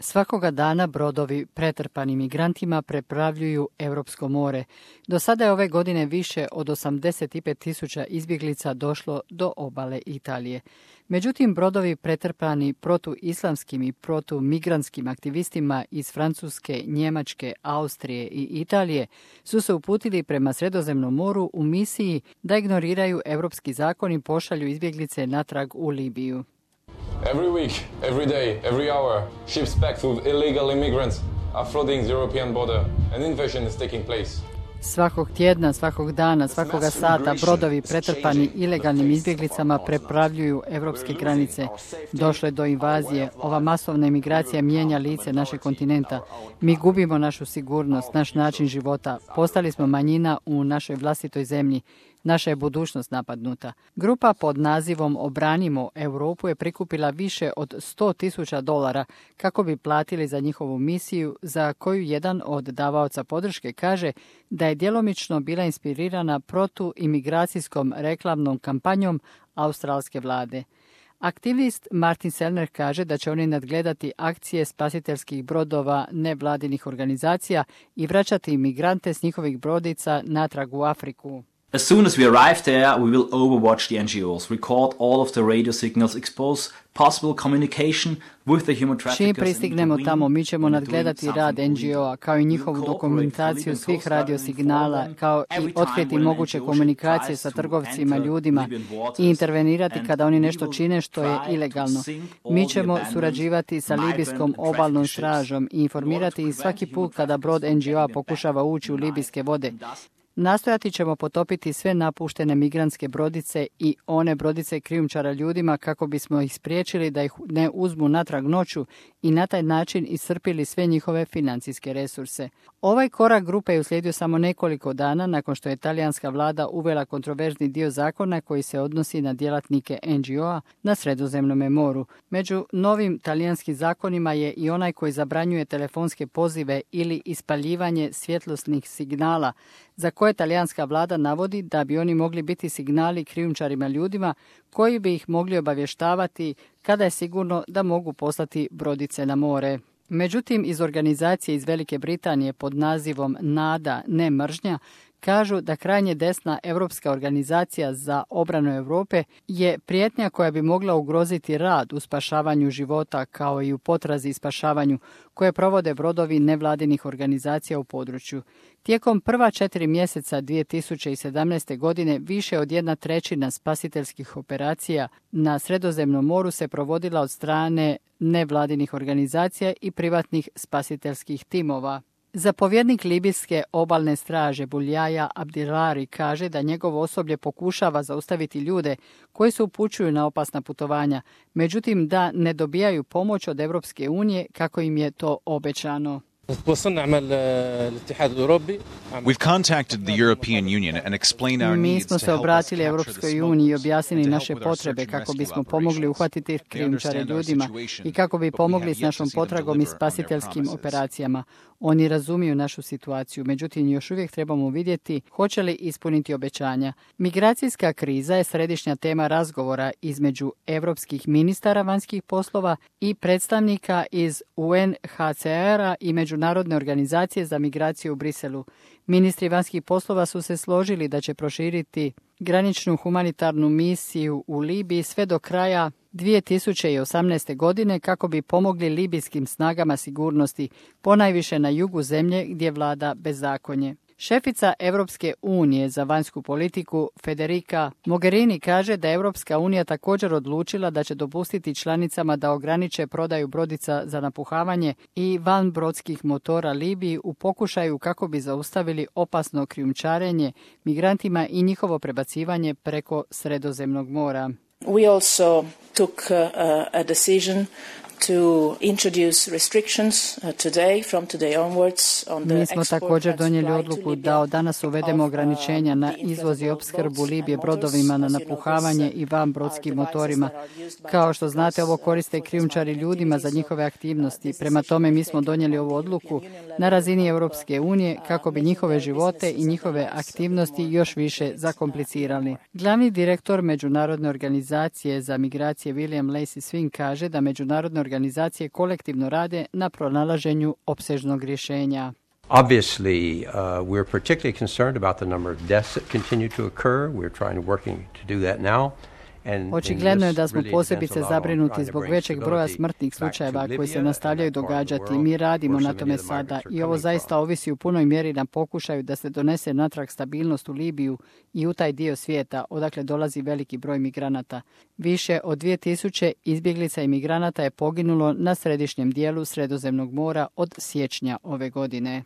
Svakoga dana brodovi pretrpani migrantima preplavljuju Europsko more. Do sada je ove godine više od 85.000 izbjeglica došlo do obale Italije. Međutim, brodovi pretrpani protuislamskim i protumigrantskim aktivistima iz Francuske, Njemačke, Austrije i Italije su se uputili prema Sredozemnom moru u misiji da ignoriraju europski zakon i pošalju izbjeglice natrag u Libiju. Every week, every day, every hour, ships packed with illegal immigrants are flooding the European border. An invasion is taking place. Svakog tjedna, svakog dana, svakoga sata brodovi pretrpani ilegalnim izbjeglicama preplavljuju europske granice. Došlo je do invazije. Ova masovna imigracija mijenja lice našeg kontinenta. Mi gubimo našu sigurnost, naš način života. Postali smo manjina u našoj vlastitoj zemlji. Naša je budućnost napadnuta. Grupa pod nazivom Obranimo Europu je prikupila više od $100,000 kako bi platili za njihovu misiju, za koju jedan od davaoca podrške kaže da je djelomično bila inspirirana protuimigracijskom reklamnom kampanjom australske vlade. Aktivist Martin Sellner kaže da će oni nadgledati akcije spasiteljskih brodova nevladinih organizacija i vraćati imigrante s njihovih brodica natrag u Afriku. As soon as we arrive there, we will overwatch the NGOs, record all of the radio signals, expose possible communication with the human traffickers. Čim pristignemo tamo, mi ćemo nadgledati rad NGO-a, kao i njihovu dokumentaciju svih radiosignala, kao i otkriti moguće komunikacije sa trgovcima ljudima i intervenirati kada oni nešto čine što je ilegalno. Mi ćemo surađivati sa libijskom obalnom stražom i informirati ih svaki put kada brod NGO-a pokušava ući u libijske vode. Nastojati ćemo potopiti sve napuštene migrantske brodice i one brodice krijumčara ljudima kako bismo ih spriječili da ih ne uzmu natrag noću i na taj način iscrpili sve njihove financijske resurse. Ovaj korak grupe je uslijedio samo nekoliko dana nakon što je talijanska vlada uvela kontroverzni dio zakona koji se odnosi na djelatnike NGO-a na Sredozemnom moru. Među novim talijanskim zakonima je i onaj koji zabranjuje telefonske pozive ili ispaljivanje svjetlosnih signala, za koje talijanska vlada navodi da bi oni mogli biti signali krijumčarima ljudima koji bi ih mogli obavještavati kada je sigurno da mogu poslati brodice na more. Međutim, iz organizacije iz Velike Britanije pod nazivom NADA, ne mržnja, kažu da krajnje desna Europska organizacija za obranu Europe je prijetnja koja bi mogla ugroziti rad u spašavanju života kao i u potrazi i spašavanju koje provode brodovi nevladinih organizacija u području. Tijekom prva 4 mjeseca 2017. godine više od 1/3 spasiteljskih operacija na Sredozemnom moru se provodila od strane nevladinih organizacija i privatnih spasiteljskih timova. Zapovjednik libijske obalne straže Buljaja Abdirari kaže da njegovo osoblje pokušava zaustaviti ljude koji se upućuju na opasna putovanja, međutim da ne dobijaju pomoć od Europske unije kako im je to obećano. We've contacted the European Union and explained our Mi needs smo to se help us obratili capture Europskoj the uniji i smugglers objasnili and to naše help with our potrebe search and kako rescue bismo pomogli operations. uhvatiti They krijumčare understand our ljudima situation, i kako bi but we pomogli have s yet to našom see them potragom i deliver on their spasiteljskim promises. operacijama. Oni razumiju našu situaciju, međutim još uvijek trebamo vidjeti hoće li ispuniti obećanja. Migracijska kriza je središnja tema razgovora između europskih ministara vanjskih poslova i predstavnika iz UNHCR-a i Međunarodne organizacije za migraciju u Briselu. Ministri vanjskih poslova su se složili da će proširiti graničnu humanitarnu misiju u Libiji sve do kraja 2018. godine kako bi pomogli libijskim snagama sigurnosti, ponajviše na jugu zemlje gdje vlada bezakonje. Šefica Europske unije za vanjsku politiku Federica Mogherini kaže da je Europska unija također odlučila da će dopustiti članicama da ograniče prodaju brodica za napuhavanje i vanbrodskih motora Libiji u pokušaju kako bi zaustavili opasno krijumčarenje migrantima i njihovo prebacivanje preko Sredozemnog mora. We also took a decision to introduce restrictions from today onwards on the Mi smo export također and donijeli supply odluku to Libya da od danas uvedemo of, ograničenja na the izvoz i inflatable opskrbu boats Libije and brodovima na motors. As you know, napuhavanje these, i vanbrodskim are devices motorima. that are used by Kao što znate, traffickers, ovo koriste for krijumčari this ljudima za activity, njihove so, aktivnosti. this Prema decision tome, mi was smo taken donijeli on ovu the odluku European Union na razini level Europske unije kako bi making njihove their živote i businesses and njihove their lives aktivnosti more još više complicated, zakomplicirali. Glavni direktor Međunarodne organizacije za migracije William Lacey Swing kaže da međunarodne organizacije kolektivno rade na pronalaženju opsežnog rješenja. Obviously, we're particularly concerned about the number of deaths that continue to occur. We're working to do that now. Očigledno je da smo posebice zabrinuti zbog većeg broja smrtnih slučajeva koji se nastavljaju događati. Mi radimo na tome sada i ovo zaista ovisi u punoj mjeri na pokušaju da se donese natrag stabilnost u Libiju i u taj dio svijeta odakle dolazi veliki broj migranata. Više od 2000 izbjeglica i migranata je poginulo na središnjem dijelu Sredozemnog mora od siječnja ove godine.